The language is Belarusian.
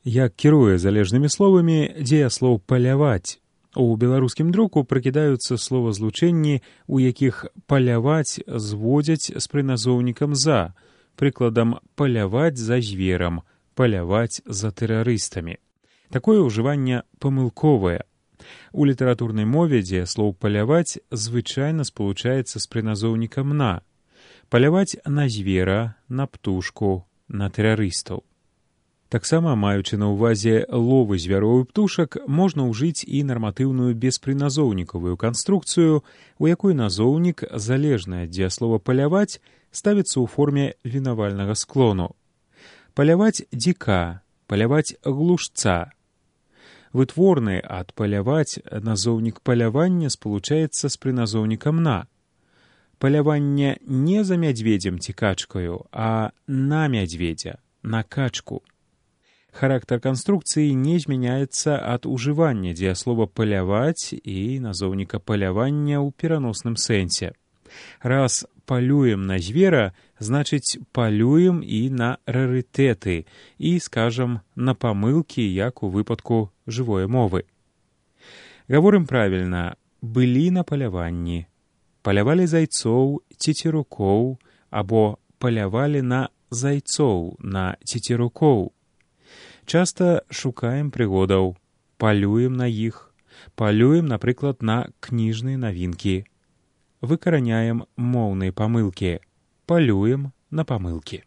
Як кіруе залежнымі словамі дзеяслоў паляваць. У беларускім друку прыкідаюцца словазлучэнні, у якіх паляваць зводзяць з прыназоўнікам «за», прыкладам «паляваць за зверам», «паляваць за тэрарыстамі». Такое ўжыванне памылковае. У літаратурнай мове дзеяслоў «паляваць» звычайна спалучаецца з прыназоўнікам «на». Паляваць на звера, на птушку, на тэрарыстаў. Таксама, маючы на ўвазе ловы звяроў і птушак, можна ўжыць і нарматыўную беспрыназоўнікавую канструкцыю, у якой назоўнік, залежны ад дзеяслова «паляваць», ставіцца ў форме вінавальнага склону. Паляваць дзіка, паляваць глушца. Вытворны ад паляваць назоўнік палявання спалучаецца з прыназоўнікам «на». Паляванне не за мядзведзем ці качкаю, а на мядзведзя, на качку. Характар канструкцыі не змяняецца ад ужывання дзеяслова «паляваць» і назоўніка «палявання» ў пераносным сэнсе. Раз палюем на звера, значыць палюем і на рарытэты і, скажам, на памылкі, як у выпадку жывой мовы. Гаворым правільна, былі на паляванні, палявалі зайцоў, цецерукоў, або палявалі на зайцоў, на цецерукоў. Часта шукаем прыгодаў, палюем на іх, палюем, напрыклад, на кніжныя навінкі. Выкараняем моўныя памылкі, палюем на памылкі.